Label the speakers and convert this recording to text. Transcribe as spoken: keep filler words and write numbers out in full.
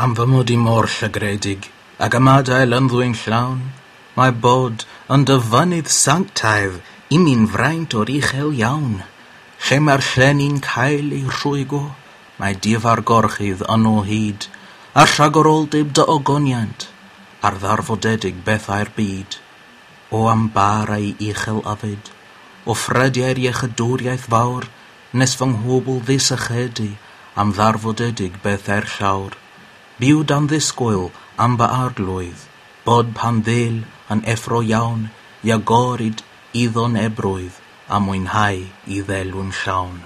Speaker 1: Am fy mod i mor llygredig, ac ymadael ynddwy'n llawn, mae bod yn dy fynydd sanctaidd i mi'n fraint o'r uchel iawn. Lle mae'r llenni'n cael eu rhwygo, mae difa'r gorchudd yno hyd, a rhagoroldeb dy ogoniant, ar ddarfodedig bethau'r byd. O am barau uchel yfed, o ffrydiau'r iechydwriaeth fawr, nes fy nghwbl ddisychedu am ddarfodedig bethau'r llawr. Byw dan ddisgwyl am fy arglwydd, bod pan ddel yn effro iawn, i agorid iddo'n ebrwydd, a mwynhau i ddelw'n llawn.